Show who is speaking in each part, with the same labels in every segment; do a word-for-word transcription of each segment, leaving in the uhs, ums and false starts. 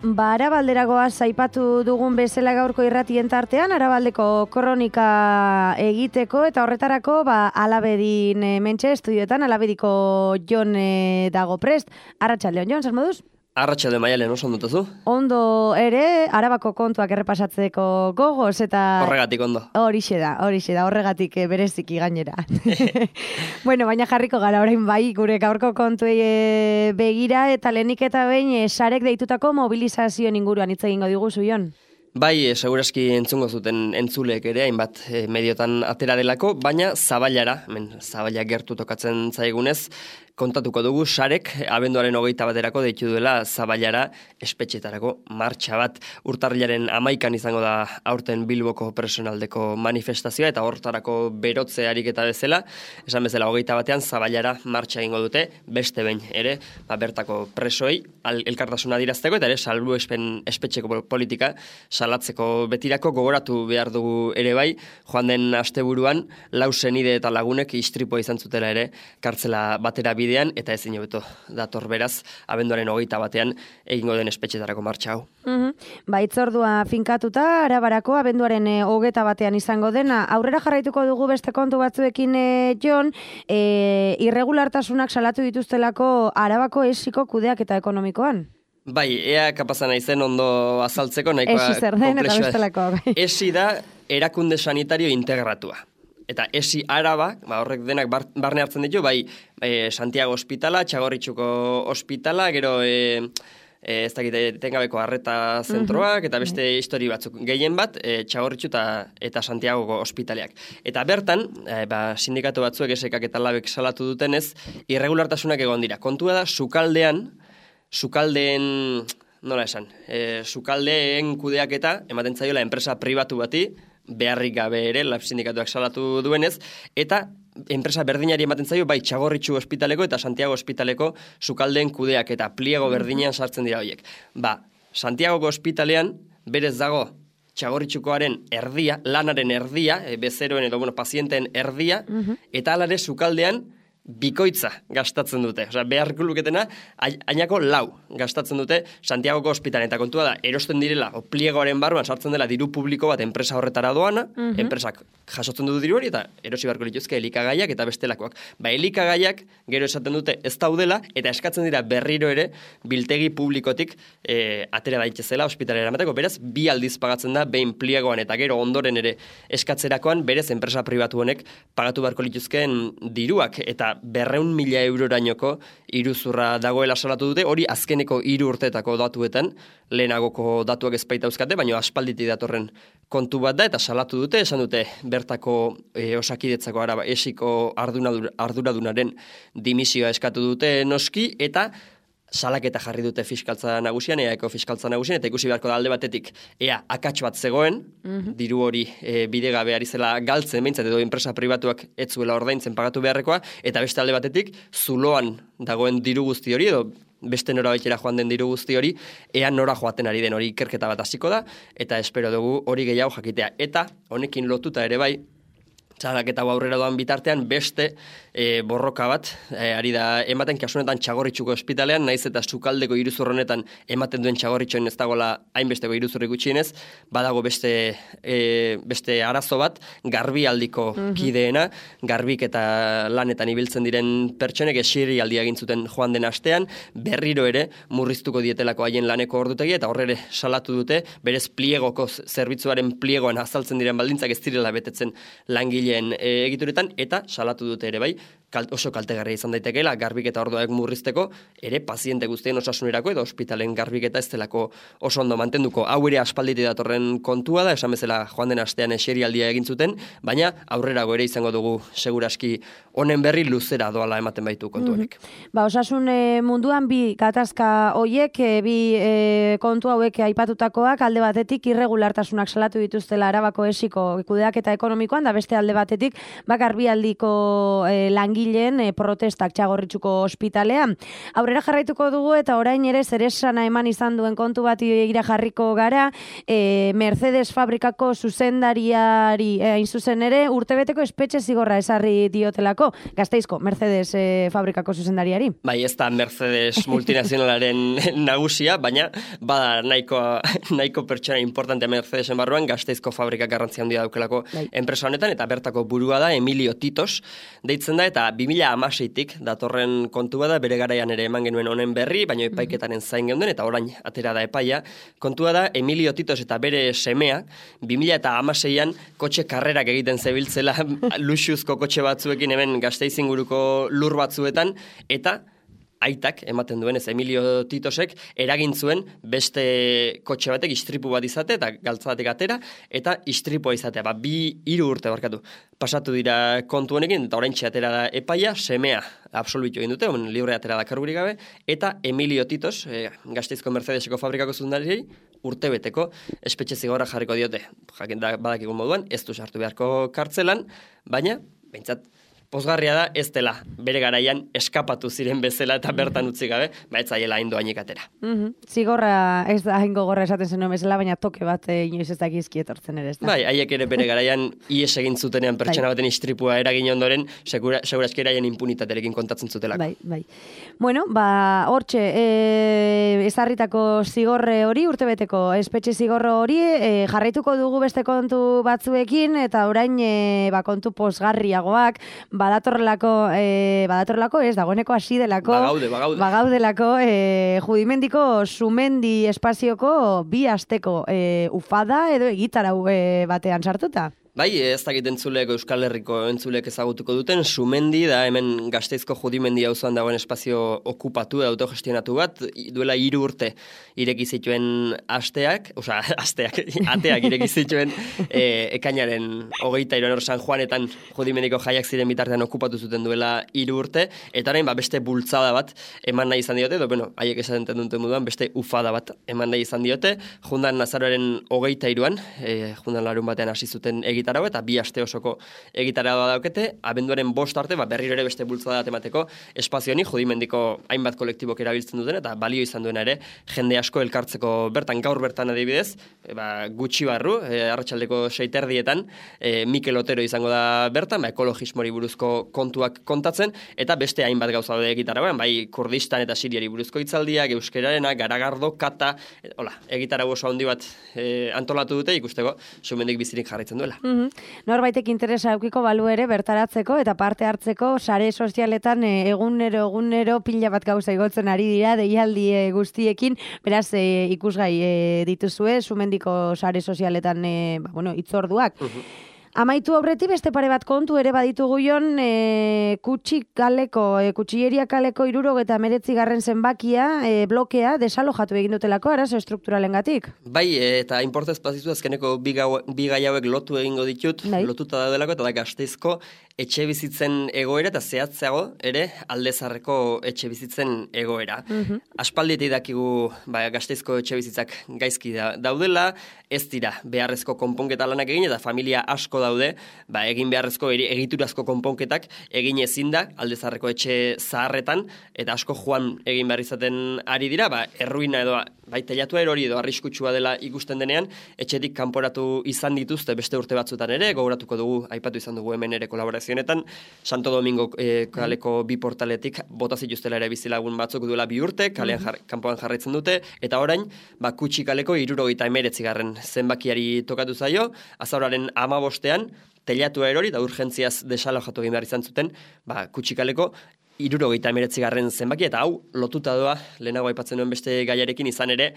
Speaker 1: Ba, Arabalderagoa zaipatu dugun bezala gaurko irratien tartean, Arabaldeko kronika egiteko, eta horretarako, ba, Alabedin e, mentxe estudioetan, Alabediko Jon e, dago prest. Arratsaldeon, Jon, zer moduz?
Speaker 2: Arratsalde Maialen, oso ondo zu?
Speaker 1: Ondo ere, Arabako kontuak errepasatzeko gogoz, eta...
Speaker 2: Horregatik ondo.
Speaker 1: Horixe da, horixe da, horregatik e, bereziki gainera. Bueno, baina jarriko gara orain bai, gure gaurko kontuei e, begira, eta lehenik eta behin e, sarek deitutako mobilizazioen inguruan hitz egingo diguzu, Jon.
Speaker 2: Bai, e, segurazki entzungo zuten entzuleek ere, hainbat e, mediotan atera delako, baina Zaballara, hemen Zaballa gertu tokatzen zaigunez, kontatuko dugu sarek abenduaren hogeita baterako deitu duela Zaballara espetxetarako martxa bat. Urtarrilaren hamaikan izango da aurten Bilboko personaldeko manifestazioa eta hortarako berotze ariketa bezala, esan bezala hogeita batean Zaballara martxa egingo dute, beste behin ere, ba, bertako presoei elkartasuna dirazteko eta ere salbuespen espetxeko politika salatzeko betirako gogoratu behar dugu ere bai, joan den asteburuan lau senide eta lagunek istripoa izan zutela ere kartzela batera bidean, eta ezin hobeto dator beraz, abenduaren hogeita batean egingo den espetxetarako martxa hau.
Speaker 1: Mm-hmm. Ba, itzordua finkatuta, Arabarako abenduaren e, hogeita batean izango dena. Aurrera jarraituko dugu beste kontu batzuekin, e, Jon, e, irregulartasunak salatu dituztelako Arabako esiko kudeak eta ekonomikoan.
Speaker 2: Bai, ea kapazan naizen ondo azaltzeko, nahikoa
Speaker 1: Esi zer den eta bestelako.
Speaker 2: Esi da erakunde sanitario integratua. Eta esi Araba, ba, horrek denak bar, barne hartzen ditu, bai e, Santiago Ospitala, Txagorritxuko Ospitala, gero e, e, ez dakit etengabeko arreta zentroak, eta beste histori batzuk. Gehien bat, e, Txagorritxu eta, eta Santiagoko ospitaleak. Eta bertan, e, ba, sindikatu batzuek esekak eta labek salatu dutenez, irregulartasunak egon dira. Kontua da, sukaldean, sukaldeen, nola esan, e, sukaldeen kudeaketa ematen zaiola enpresa pribatu bati, beharrik gabe ere, lab sindikatuak salatu duenez, eta enpresa berdinari ematen zaio, bai Txagorritxu ospitaleko eta Santiago ospitaleko sukaldeen kudeak eta pliego berdinean sartzen dira horiek. Ba, Santiagoko ospitalean berez dago Txagorritxukoaren erdia, lanaren erdia, e, bezeroen edo bueno, pazienteen erdia, eta alare sukaldean bikoitza gastatzen dute. Osea, beharko luketena, ainako lau gastatzen dute Santiagoko ospitalean. Eta kontua da, erosten direla, o pliegoaren barruan sartzen dela diru publiko bat enpresa horretara doana, uh-huh. enpresak jasotzen du diru hori, eta erosi beharko lituzke elikagaiak eta bestelakoak. Ba, elikagaiak gero esaten dute ez daudela, eta eskatzen dira berriro ere biltegi publikotik e, atera daitezela ospitalera emateko. Beraz, bi aldiz pagatzen da, behin pliegoan eta gero ondoren ere eskatzerakoan, berez enpresa pribatu honek pagatu beharko lituzkeen diruak, eta berreun mila eurorainoko iruzurra dagoela salatu dute, hori azkeneko hiru urteetako datuetan, lehenagoko datuak ezpaita euskate, baina aspalditi datorren kontu bat da, eta salatu dute, esan dute bertako e, osakidetzako araba esiko arduradunaren dimisioa eskatu dute noski, eta salaketa jarri dute fiskaltza nagusian, eaeko fiskaltza nagusian, eta ikusi beharko da alde batetik, ea akats bat zegoen, mm-hmm. diru hori e, bidegabe ari zela galtzen, behintzat edo enpresa pribatuak ez zuela ordaintzen pagatu beharrekoa, eta beste alde batetik, zuloan dagoen diru guzti hori, edo beste nora baitera joan den diru guzti hori, ea nora joaten ari den hori ikerketa bat hasiko da, eta espero dugu hori gehiago jakitea. Eta honekin lotuta ere bai, txalaketa aurrera doan bitartean beste e, borroka bat e, ari da ematen kasunetan Txagorritxuko ospitalean, naiz eta sukaldeko iruzur honetan ematen duen Txagorritxoen ez dagoela hainbesteko iruzurri gutxienez, badago beste e, beste arazo bat, garbialdiko mm-hmm. kideena, garbik eta lanetan ibiltzen diren pertsonek esiri aldia egin zuten joan den astean, berriro ere murriztuko dietelako haien laneko ordutegi, eta horre salatu dute, berez pliegoko zerbitzuaren pliegoan azaltzen diren baldintzak ez direla betetzen langile E, egituretan, eta salatu dute ere bai, kalt, oso kaltegarria izan daitekeela, garbiketa orduak murrizteko, ere paziente guztien osasunerako edo ospitalen garbiketa ez delako oso ondo mantenduko. Hau ere aspalditi datorren kontua da, esan bezala joan den astean eserialdia egin zuten, baina aurrerago ere izango dugu seguraski honen berri luzera doala ematen baitu kontu horrek.
Speaker 1: Mm-hmm. Ba, osasun e, munduan bi gatazka hoiek, e, bi e, kontu hauek aipatutakoak, alde batetik irregulartasunak salatu dituztela Arabako esiko kudeaketa ekonomikoan, da beste alde batetik, ba, garbialdiko e, langi langileen e, protestak Txagorritxuko ospitalean. Aurrera jarraituko dugu eta orain ere zeresana eman izan duen kontu bat ira jarriko gara, e, Mercedes fabrikako zuzendariari e, hain zuzen ere urtebeteko espetxe zigorra esarri diotelako, Gasteizko Mercedes e, fabrikako zuzendariari.
Speaker 2: Bai, ez da Mercedes multinazionalaren nagusia, baina bada nahiko, nahiko pertsona importante Mercedesen barruan, Gasteizko fabrikak garrantzia handia daukelako bai. Enpresa honetan, eta bertako burua da Emilio Titos, deitzen da, eta bi mila hamaseitik datorren kontu bada, bere garaian ere eman genuen honen berri, baina epaiketaren zain geunden, eta orain atera da epaia. Kontua da, Emilio Titos eta bere semea, bi mila hamaseian kotxe karrerak egiten zebiltzela luxuzko kotxe batzuekin hemen Gasteiz inguruko lur batzuetan, eta aitak ematen duen ez Emilio Titosek eragin zuen beste kotxe batek istripu bat izate eta galtza batek atera eta istripua izatea. Ba, bi hiru urte barkatu. Pasatu dira kontu honekin eta oraintxe atera da epaia, semea absolbitu egin dute, on libre atera da kargurik gabe, eta Emilio Titos, e, Gasteizko Mercedeseko fabrikako zuzendariei urtebeteko espetxe zigorra jarriko diote. Jakin da badakigun moduan, ez du sartu beharko kartzelan, baina behintzat pozgarria da ez dela bere garaian eskapatu ziren bezala eta bertan utzi gabe, ba ez zaiela hain doainik atera.
Speaker 1: Mm-hmm. Zigorra ez da hain gogorra esaten zenuen bezala, baina toke bat e, inoiz ez dakizki etortzen ere ez da.
Speaker 2: Bai, haiek ere bere garaian ies egin zutenean pertsona baten istripua eragin ondoren, segura, seguraski eraien impunitaterekin kontatzen zutelako.
Speaker 1: Bai, bai. Bueno, ba, hortxe, e, ezarritako zigorre hori, urtebeteko espetxe zigorro hori, e, jarraituko dugu beste kontu batzuekin, eta orain e, ba, kontu posgarriagoak, badatorrelako, e, badatorrelako ez, dagoeneko hasi delako,
Speaker 2: bagaude, bagaude.
Speaker 1: bagaudelako, e, Judimendiko Sumendi espazioko bi asteko e, ufada edo egitarau e, batean sartuta.
Speaker 2: Bai, ez dakit entzulek Euskal Herriko entzulek ezagutuko duten, Sumendi da hemen Gasteizko Judimendi auzoan dagoen espazio okupatu da autogestionatu bat, duela hiru urte ireki zituen asteak, osea, asteak, ateak ireki zituen e, ekainaren hogeita hiruan hor San Juanetan Judimendiko jaiak ziren bitartean okupatu zuten duela hiru urte, eta orain ba, beste bultzada bat eman nahi izan diote, edo, bueno, haiek esaten duten moduan, beste ufada bat eman nahi izan diote, jundan Nazaroaren hogeita hiruan, e, jundan larun batean hasi zuten egiten egitarau eta bi aste osoko egitarau daukete, abenduaren bost arte, ba, berriro ere beste bultzada emateko espazio honi Judimendiko hainbat kolektibok erabiltzen duten eta balio izan duena ere jende asko elkartzeko bertan, gaur bertan adibidez, e, ba, gutxi barru, e, arratsaldeko seiterdietan, e, Mikel Otero izango da bertan, ba, ekologismori buruzko kontuak kontatzen, eta beste hainbat gauza daude egitarauan, bai Kurdistan eta Siriari buruzko hitzaldiak, euskerarena, garagardo, kata, e, hola, egitarau oso handi bat e, antolatu dute ikusteko Sumendik bizirik jarraitzen duela.
Speaker 1: Mm-hmm. Norbaitek interesa aukiko balu ere bertaratzeko eta parte hartzeko sare sozialetan e, egunero egunero pila bat gauza igotzen ari dira deialdi e, guztiekin, beraz e, ikusgai e, dituzue Sumendiko sare sozialetan e, ba, bueno, itzorduak. Uh-huh. Amaitu aurretik beste pare bat kontu ere baditugu jon, e, kutsik kaleko, e, kutsilleria kaleko irurogeta meretzi garren zenbakia, e, blokea, desalojatu egin dutelako, arazo estrukturalengatik.
Speaker 2: Bai, eta inportez pazizu azkeneko bi, gau, bi gai hauek lotu egingo ditut, bai. Lotuta daudelako, eta da Gasteizko etxe bizitzen egoera, eta zehatzeago ere aldezarreko etxe bizitzen egoera. Uh-huh. Aspalditik dakigu ba, Gasteizko etxe bizitzak gaizki da, daudela, ez dira beharrezko konponketa lanak egin, eta familia asko daude, ba, egin beharrezko egiturazko konponketak egin ezin da aldezarreko etxe zaharretan, eta asko joan egin behar izaten ari dira, ba, erruina edo bai teilatua erori edo arriskutsua dela ikusten denean, etxetik kanporatu izan dituzte beste urte batzutan ere, gogoratuko dugu, aipatu izan dugu hemen ere kolaborazionetan, Santo Domingo e, kaleko bi portaletik bota zituztela ere bizilagun batzuk duela bi urte, kalean jar, kanpoan jarraitzen dute, eta orain, ba, kutsi kaleko hirurogeita hemeretzi garren zenbakiari tokatu zaio, azauraren hamabostean, teilatua erori da urgentziaz desalojatu egin behar izan zuten, ba, kutsi kaleko hirurogeita hemeretzi garren zenbaki, eta hau lotuta doa, lehenago aipatzen duen beste gaiarekin izan ere,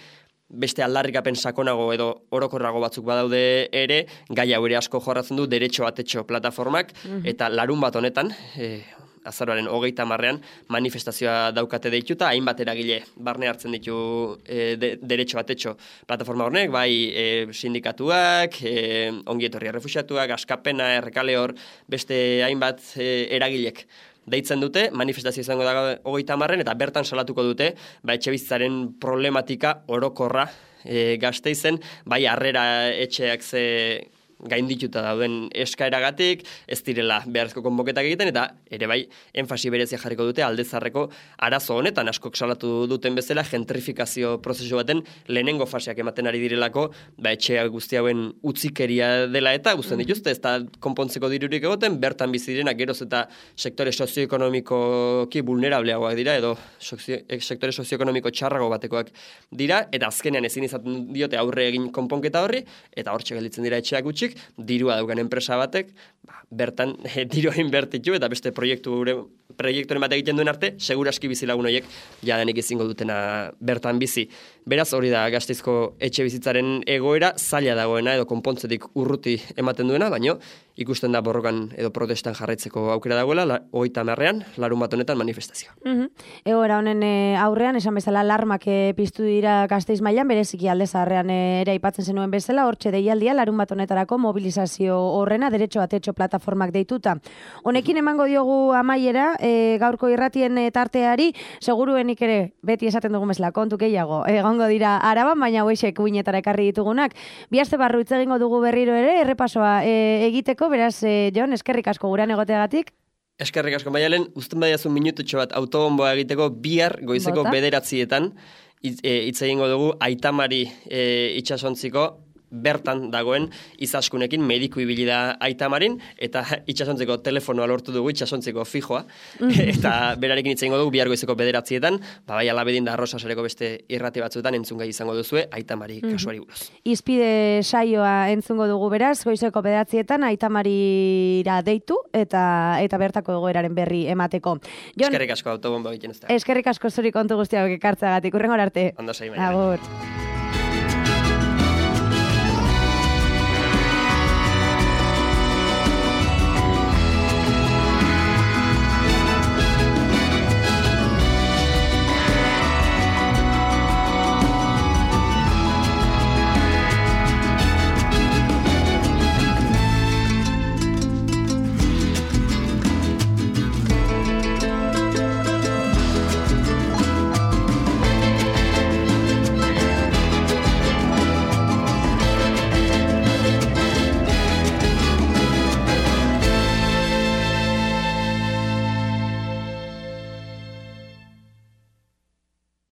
Speaker 2: beste aldarrikapen sakonago edo orokorrago batzuk badaude ere, gai hau ere asko jorratzen du derecho atetxo plataformak, mm-hmm. eta larun bat honetan, e, azaroaren hogeita marrean manifestazioa daukate deituta, hainbat eragile barne hartzen ditu e, de, derecho atetxo plataforma hornek, bai e, sindikatuak, e, ongietorria refuxiatuak, askapena, errekale hor, beste hainbat e, eragilek deitzen dute, manifestazio izango da hogeita marren, eta bertan salatuko dute, ba, etxebizitzaren problematika orokorra e, Gasteizen, bai harrera etxeak ze gaindituta dauden eskaeragatik, ez direla beharrezko konboketak egiten, eta ere bai, enfasi berezia jarriko dute aldezarreko arazo honetan, askok salatu duten bezala, gentrifikazio prozesu baten lehenengo faseak ematen ari direlako, ba, etxe guzti hauen utzikeria dela eta guztien dituzte, ez da konpontzeko dirurik egoten, bertan bizi direnak geroz eta sektore sozioekonomikoki vulnerableagoak dira, edo sozio, sektore sozioekonomiko txarrago batekoak dira, eta azkenean ezin izaten diote aurre egin konponketa horri, eta hortxe gelditzen dira etxeak gutxik, dirua daukan enpresa batek, ba, bertan e, dirua inbertitu eta beste proiektu proiekturen bat egiten duen arte, seguraski bizilagun horiek jadanik ezingo dutena bertan bizi. Beraz, hori da Gasteizko etxe bizitzaren egoera, zaila dagoena edo konpontzetik urruti ematen duena, baino ikusten da borrokan edo protestan jarraitzeko aukera dagoela, hogeita hamarrean, larun bat honetan manifestazioa.
Speaker 1: Mm-hmm. Egoera honen e, aurrean, esan bezala alarmak e, piztu dira Gasteiz mailan, bereziki alde zaharrean e, ere aipatzen zenuen bezala, hortxe deialdia larun bat honetarako mobilizazio horrena, derecho a techo plataformak deituta. Honekin emango diogu amaiera, e, gaurko irratien e, tarteari, seguruenik ere, beti esaten dugun bezala, kontu gehiago, egongo dira Araban, baina hoexek uinetara ekarri ditugunak. Bi aste barru hitz egingo dugu berriro ere, errepasoa e, egiteko, beraz, e, Jon, eskerrik asko gurean egoteagatik.
Speaker 2: Eskerrik asko, Maialen, uzten badiazu minututxo bat autobomboa egiteko bihar goizeko Bota. bederatzietan hitz e, egingo dugu Aitamari e, itsasontziko bertan dagoen izaskunekin mediku ibili da Aitamarin, eta itsasontzeko telefonoa lortu dugu, itsasontzeko fijoa, eta berarekin hitz egingo dugu bihar goizeko bederatzietan, ba, bai alabedin da Arrosasareko beste irrati batzuetan entzungai izango duzue Aitamari kasuari buruz.
Speaker 1: Izpide saioa entzungo dugu beraz, goizeko bederatzietan Aitamarira deitu, eta eta bertako egoeraren berri emateko.
Speaker 2: Jon, eskerrik asko autobomba egiten ez da.
Speaker 1: Eskerrik asko zuri kontu guztiak ekartzagatik, urrengor arte.
Speaker 2: Ondo sei,
Speaker 1: Agur.